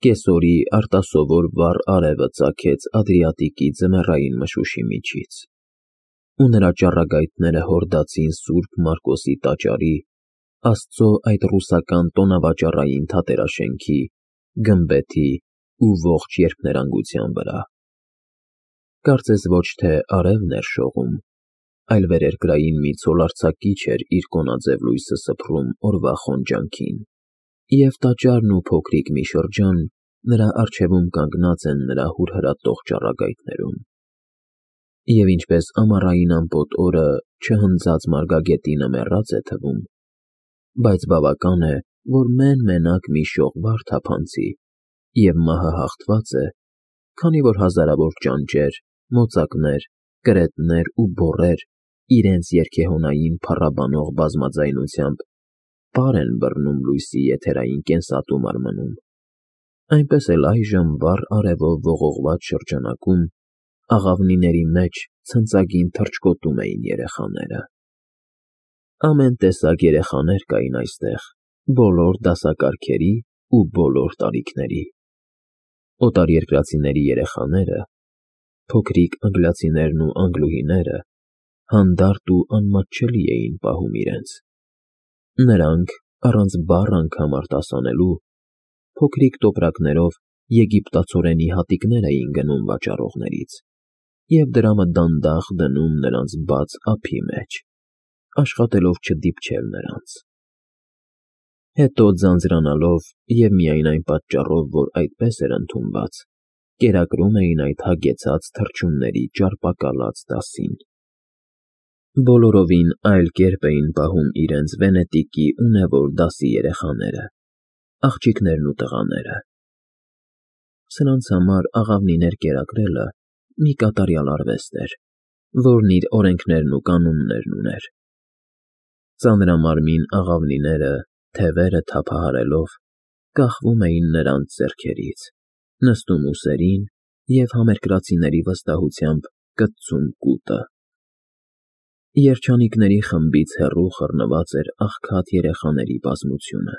Կեսօրի արտասովոր վառ արևը ծագեց Ադրիատիկի ձմեռային մշուշի միջից, ու նրա ճառագայթները հորդացին Սուրբ Մարկոսի տաճարի, Աստծո այդ ռուսական տոնավաճառային թատերաշենքի, գմբեթի ու ողջ երկներանգության վրա։ Կարծես ոչ թե արևն էր շողում, այլ վերերկրային մի ցոլարձակիչ էր իր կոնաձև լույսը սփռում օրվա խոնջանքին, և տաճարն ու փոքրիկ մի շրջան նրա առջևում կանգնած են նրա հուրհրատող ճառագայթներում։ Եվ ինչպես ամառային ամպոտ օրը չհնձած մարգագետինը մեռած է թվում, բայց բավական է, որ մեն-մենակ մի շող վար թափանցի, և մահը հաղթված է, քանի որ հազարավոր ճանճեր, մոծակներ, կրետներ ու բոռեր իրենց երգեհոնային փառաբանող բազմաձայնությամբ պար են բռնում լույսի եթերային կենսատու մարմնում, այնպես էլ այժմ վառ արևով ողողված շրջանակում աղավնիների մեջ ցնծագին թռչկոտում էին երեխաները։ Ամեն տեսակ երեխաներ կային այստեղ, բոլոր դասակարգերի ու բոլոր տարիքների։ Օտարերկրացիների երեխաները, փոքրիկ անգլիացիներն ու անգլուհիները հանդարտ ու անմատչելի էին պահում իրենց։ Նրանք, առանց բառ անգամ արտասանելու, փոքրիկ տոպրակներով եգիպտացորենի հատիկներ էին գնում վաճառողներից և դրամը դանդաղ դնում նրանց բաց ափի մեջ, աշխատելով չդիպչել նրանց։ Հետո ձանձրանալով և միայն այն պատճառով, որ այդպես էր ընդունված, կերակրում էին այդ հագեցած թռչունների ճարպակալած դասին։ Բոլորովին այլ կերպ էին պահում իրենց Վենետիկի ունևոր դասի երեխաները, աղջիկներն ու տղաները։ Սրանց համար աղավնիներ կերակրելը մի կատարյալ արվեստ էր, որն իր օրենքներն ու կանոններն ուներ։ Ծանրամարմին աղավնիները, թևերը թափահարելով, կախվում էին նրանց ձեռքերից, նստում ուսերին և համերկրացիների վստահությամբ կծում կուտը։ Երջանիկների խմբից հեռու խռնված էր աղքատ երեխաների բազմությունը։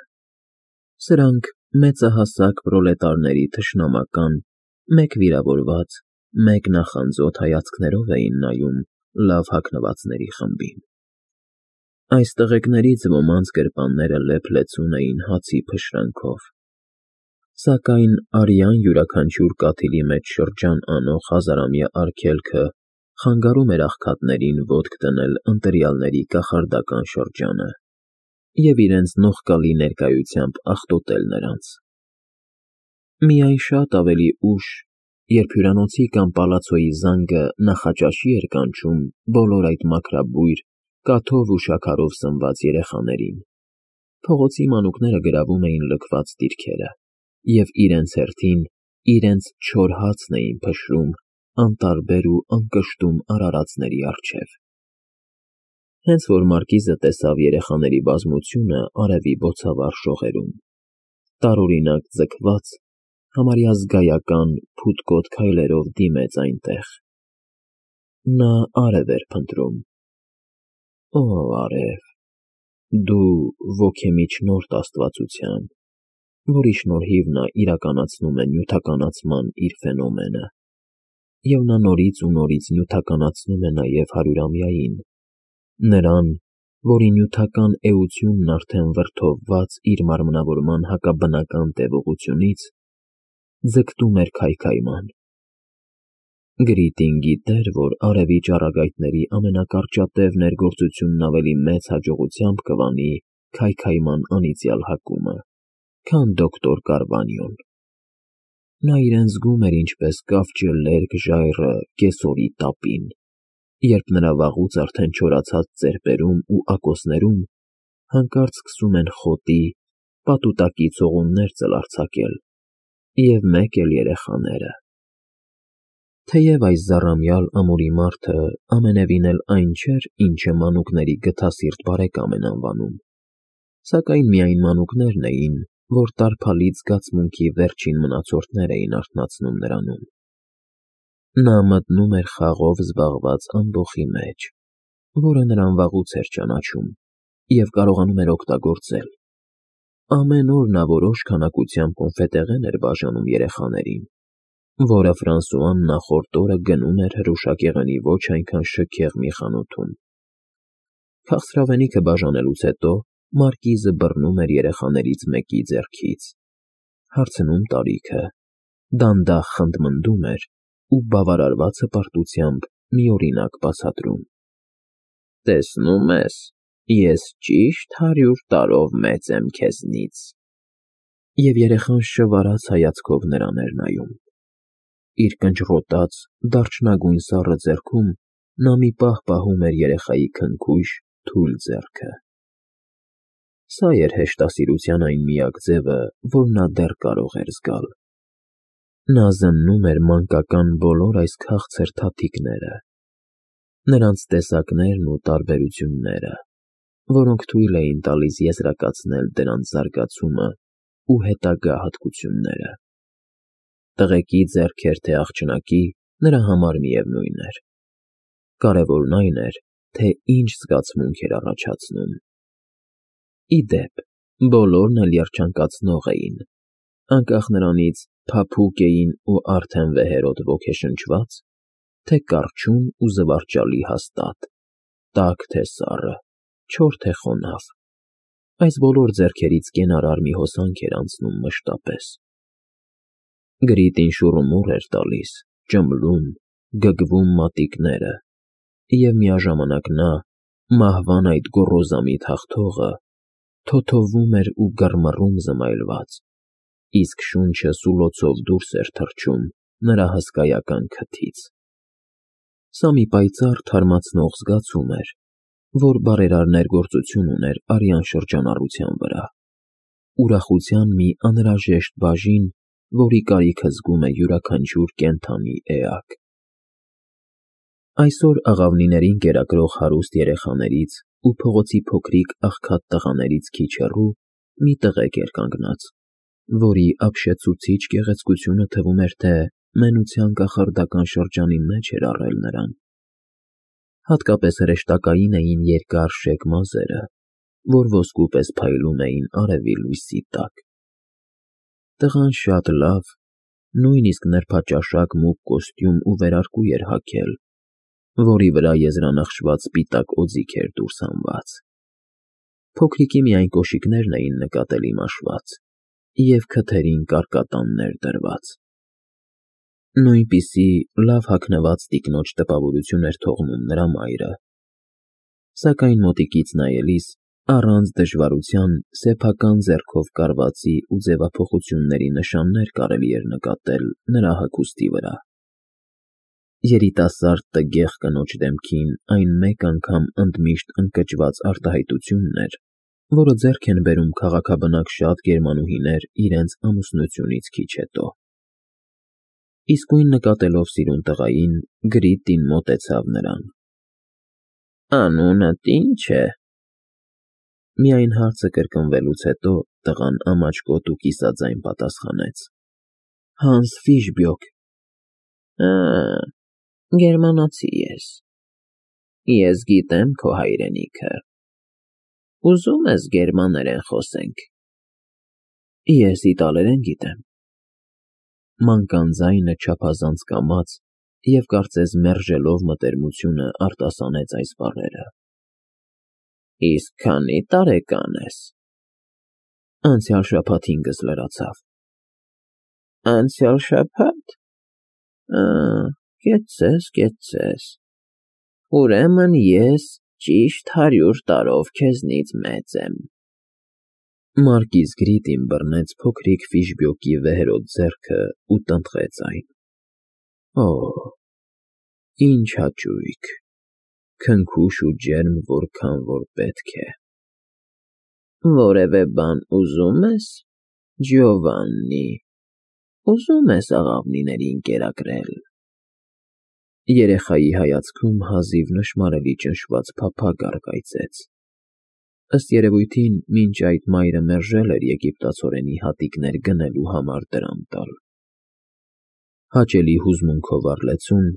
Սրանք մեծահասակ պրոլետարների թշնամական, մեկ վիրավորված, մեկ նախանձոտ հայացքներով էին նայում լավ հագնվածների խմբին։ Այս տղեկներից ոմանց գրպանները լեփ-լեցուն էին հացի փշրանքով, սակայն արյան յուրաքանչյուր կաթիլի մեջ շրջան անող հազարամյա արգելքը խանգարում էր աղքատներին ոտք դնել ընտրյալների կախարդական շրջանը և իրենց նողկալի ներկայությամբ աղտոտել նրանց։ Միայն շատ ավելի ուշ, երբ հյուրանոցի կամ պալացոյի զանգը նախաճաշի էր կանչում բոլոր այդ մաքրաբույր, կաթով ու շաքարով սնված երեխաներին, փողոցի մանուկները գրավում էին լքված դիրքերը և իրենց հերթին իրենց չոր հացն էին փշրում անտարբեր ու անկշտում արարածների առջև։ Հենց որ մարկիզը տեսավ երեխաների բազմությունը արևի բոցավառ շողերում, տարօրինակ ձգված, համարյա զգայական փութկոտ քայլերով դիմեց այնտեղ։ Նա արև էր փնտրում։ Օ արև, դու ոգեմիջնորդ աստվածության, որի շնորհիվ նա իրականացնում է նյութականացման իր ֆենոմենը, և նա նորից ու նորից նյութականացնում է նաև հարյուրամյային, նրան, որի նյութական էությունն արդեն վրդովված իր մարմնավորման հակաբնական տևողությունից, ձգտում էր քայքայման։ Գրիտին գիտեր, որ արևի ճառագայթների ամենակարճատև ներգործությունն ավելի մեծ հաջողությամբ կվանի քայքայման անիծյալ հակումը, քան դոկտոր Կարվանյոն։ Նա իրեն զգում էր ինչպես կավճը լերկ ժայռը կեսօրի տապին, երբ նրա վաղուց արդեն չորացած ծեպերում ու ակոսներում հանկարծ սկսում են խոտի, պատուտակի ցողուններ ծլարձակել, և մեկ էլ երեխաները։ Թեև այս զառամյալ ամուրի մարդը ամենևին էլ այն չէր, ինչը մանուկների գթասիրտ բարեկամ են անվանում, սակայն միայն մանուկներն էին, որ տարփալից զգացմունքի վերջին մնացորդներ էին արթնացնում նրանում։ Նա մտնում էր խաղով զբաղված ամբոխի մեջ, որը նրան վաղուց էր ճանաչում և կարողանում էր օգտագործել, ամեն օր նա որոշ քանակությամբ կոնֆետեղեն էր բաժանում երեխաներին, որը Ֆրանսուան նախորդ օրը գնում էր հրուշակեղենի ոչ այնքան շքեղ մի խանութում։ Քաղցրավենիքը բաժանելուց հետո Մարկիզը բռնում էր երեխաներից մեկի ձեռքից, հարցնում տարիքը, դանդաղ խնդմնդում էր ու բավարարված հպարտությամբ միօրինակ բացատրում. «Տեսնում ես, ես ճիշտ 100 տարով մեծ եմ քեզնից»։ Եվ երեխան շվարած հայացքով նրան էր նայում։ Իր կնճռոտած, դարչնագույն սառը ձեռքում նա մի պահ պահում էր երեխայի քնքուշ, թույլ ձեռքը։ Սա էր հեշտասիրության այն միակ ձևը, որ նա դեռ կարող էր զգալ։ Նա զննում էր մանկական բոլոր այս քաղցր թաթիկները, նրանց տեսակներն ու տարբերությունները, որոնք թույլ էին տալիս եզրակացնել դրանց զարգացումը ու հետագա հատկությունները։ Տղեկի ձեռքեր թե աղջնակի, նրա համար միևնույն էր։ Կարևորն այն էր, թե ինչ զգացմունք էր առաջացնում։ Ի դեպ, բոլորն էլ երջանկացնող էին, անկախ նրանից փափուկ էին ու արդեն վեհերոտ ոգեշնչված, թե կառչուն ու զվարճալի հաստատ, տաք թե սառը, չոր թե խոնավ, այս բոլոր ձեռքերից կենարար մի հոսանք էր անցնում մշտապես։ Գրիտին շուռումուռ էր տալիս, ճմլում, գգվում մատիկները, և միաժամանակ նա, մահվան այդ գոռոզամիտ հաղթողը, թոթովում էր ու գռմռում զմայլված, իսկ շունչը սուլոցով դուրս էր թռչում նրա հսկայական քթից։ Սա մի պայծառ թարմացնող զգացում էր, որ բարերար ներգործություն ուներ արյան շրջանառության վրա, ուրախության մի անհրաժեշտ բաժին, որի կարիքը զգում է յուրաքանչյուր կենդանի էակ։ Այսօր աղավնիներին կերակրող հարուստ երեխաներից ու փողոցի փոքրիկ աղքատ տղաներից քիչ հեռու մի տղեկ էր կանգնած, որի ապշեցուցիչ գեղեցկությունը թվում էր, թե մենության կախարդական շրջանի մեջ էր առել նրան։ Հատկապես հրեշտակային էին երկար շեկ մազերը, որ ոսկու պես փայլում էին արևի լույսի տակ։ Տղան շատ լավ, նույնիսկ նրբաճաշակ մուգ կոստյում ու վերարկու էր հագել, որի վրա եզրանախշված սպիտակ օձիք էր դուրս հանված։ Փոքրիկի միայն կոշիկներն էին նկատելի մաշված և քթերին կարկատաններ դրված։ Նույնպիսի լավ հագնված տիկնոջ տպավորություն էր թողնում նրա մայրը, սակայն մոտիկից նայելիս առանց դժվարության սեփական ձեռքով կարվածի ու ձևափոխությունների նշաններ կարելի էր նկատել նրա հագուստի վրա։ Երիտասարդ տգեղ կնոջ դեմքին այն մեկ անգամ ընդմիշտ ընկճված արտահայտությունն էր, որը ձեռք են բերում քաղաքաբնակ շատ գերմանուհիներ իրենց ամուսնությունից քիչ հետո։ Իսկույն նկատելով սիրուն տղային, Գրիտին մոտեցավ նրան։ «Անունդ ի՞նչ է»։ Միայն հարցը կրկնվելուց հետո տղան ամաչկոտ ու կիսաձայն պատասխանեց. «Հանս Ֆիշբյոկ»։ Գերմանացի ես։ Ես գիտեմ քո հայրենիքը։ Ուզում ես գերմաներեն խոսենք։ Ես իտալերեն գիտեմ։ Մանկան ձայնը չափազանց կամաց և կարծես մերժելով մտերմությունը արտասանեց այս բառերը։ Իսկ քանի տարեկան ես։ Անցյալ շաբաթ 5-ս լրացավ։ Անցյալ շաբաթ։ Կեցցես։ Ուրեմն ես ճիշտ 100 տարով քեզնից մեծ եմ։ Մարկիզ Գրիտին բռնեց փոքրիկ Ֆիշբյոկի վեհերոտ ձեռքը ու տնտղեց այն։ Օ, ինչ հաճույք, քնքուշ ու ջերմ, որքան որ պետք է։ Որևէ բան ուզում ես, Ջովաննի, ուզում ես աղավնիներին կերակրել։ Երեխայի հայացքում հազիվ նշմարելի ճնշված փափագ առկայծեց։ Ըստ երևույթին, մինչ այդ մայրը մերժել էր եգիպտացորենի հատիկներ գնելու համար դրամ տալ։ Հաճելի հուզմունքով առլեցուն,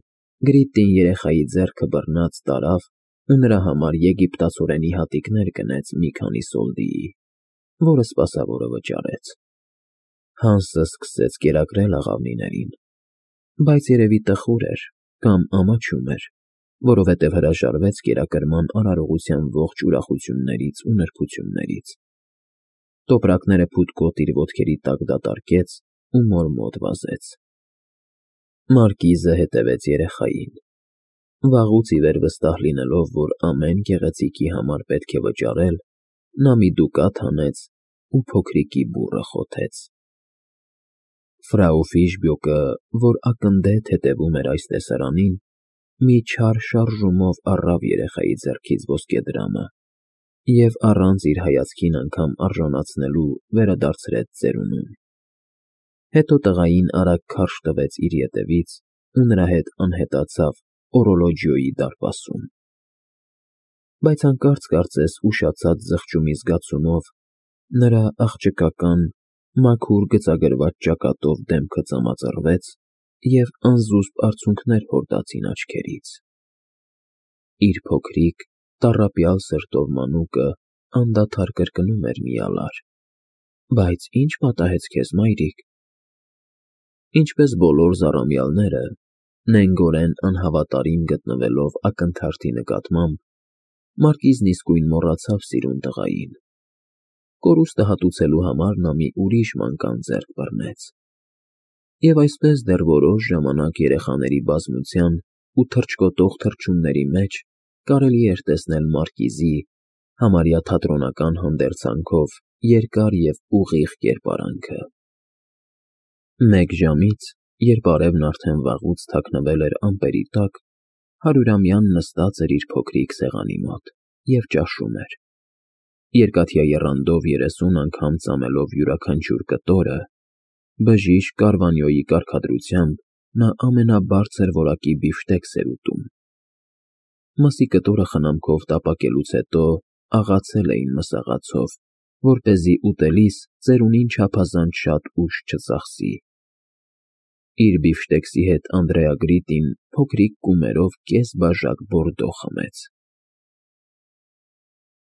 Գրիտին երեխայի ձեռքը բռնած տարավ ու նրա համար եգիպտացորենի հատիկներ գնեց մի քանի սոլդիի։ որը սպասավորը վճարեց։ Հանսը սկսեց կերակրել աղավնիներին, բայց երևի տխուր էր կամ ամաչում էր, որովհետև հրաժարվեց կերակրման արարողության ողջ ուրախություններից ու նրբություններից։ Տոպրակները փութկոտ իր ոտքերի տակ դատարկեց ու մոր-մոտ վազեց։ Մարկիզը հետևեց երեխային։ Վաղուց ի վեր վստահ լինելով, որ ամեն գեղեցիկի համար պետք է վճարել, նա մի դուկատ հանեց ու փոքրիկի բուռը խոթեց։ Ֆրау Ֆիշբյոկը, որ ակնթեթ հետևում էր այս տեսարանին, մի չար շարժումով առավ երեխայի ձեռքից ոսկեդրամը և առանց իր հայացքին անգամ արժանացնելու վերադարձրեց ծերունուն։ Հետո տղային արագ քարշ տվեց իր ետևից ու նրա հետ անհետացավ օրոլոջիոյի դարպասում։ Բայց հանկարծ կարծես ուշացած զղջումի զգացումով նրա աղջկական, մաքուր գծագրված ճակատով դեմքը ծամածռվեց և անզուսպ արցունքներ հորդացին աչքերից։ Իր փոքրիկ, տառապյալ սրտով մանուկը անդադար կրկնում էր մի ալար. «Բայց ի՞նչ պատահեց քեզ, մայրիկ»։ Ինչպես բոլոր զառամյալները, նենգորեն անհավատարիմ գտնվելով ակնթարթի նկատմամբ, Մարկիզն իսկույն մոռացավ սիրուն տղային։ Կորուստը հատուցելու համար նա մի ուրիշ մանկան ձեռք բռնեց։ Եվ այսպես դեռ որոշ ժամանակ երեխաների բազմության ու թռչկոտող թռչունների մեջ կարելի էր տեսնել Մարկիզի, համարյա թատրոնական հանդերձանքով, երկար և ուղիղ կերպարանքը։ Մեկ ժամից, երբ արևն արդեն վաղուց թաքնվել էր ամպերի տակ, հարյուրամյան նստած էր իր փոքրիկ սեղանի մոտ և ճաշում էր։ Երկաթյա եռանդով 30 անգամ ծամելով յուրաքանչյուր կտորը, բժիշկ Կարվանյոյի կարգադրությամբ նա ամենաբարձր որակի բիֆշտեկս էր ուտում։ Մսի կտորը խնամքով տապակելուց հետո աղացել էին մսաղացով, որպեսզի ուտելիս ծերունին չափազանց շատ ուժ չծախսի։ Իր բիֆշտեքսի հետ Անդրեա Գրիտին փոքրիկ կումերով կես բաժակ բորդո խմեց։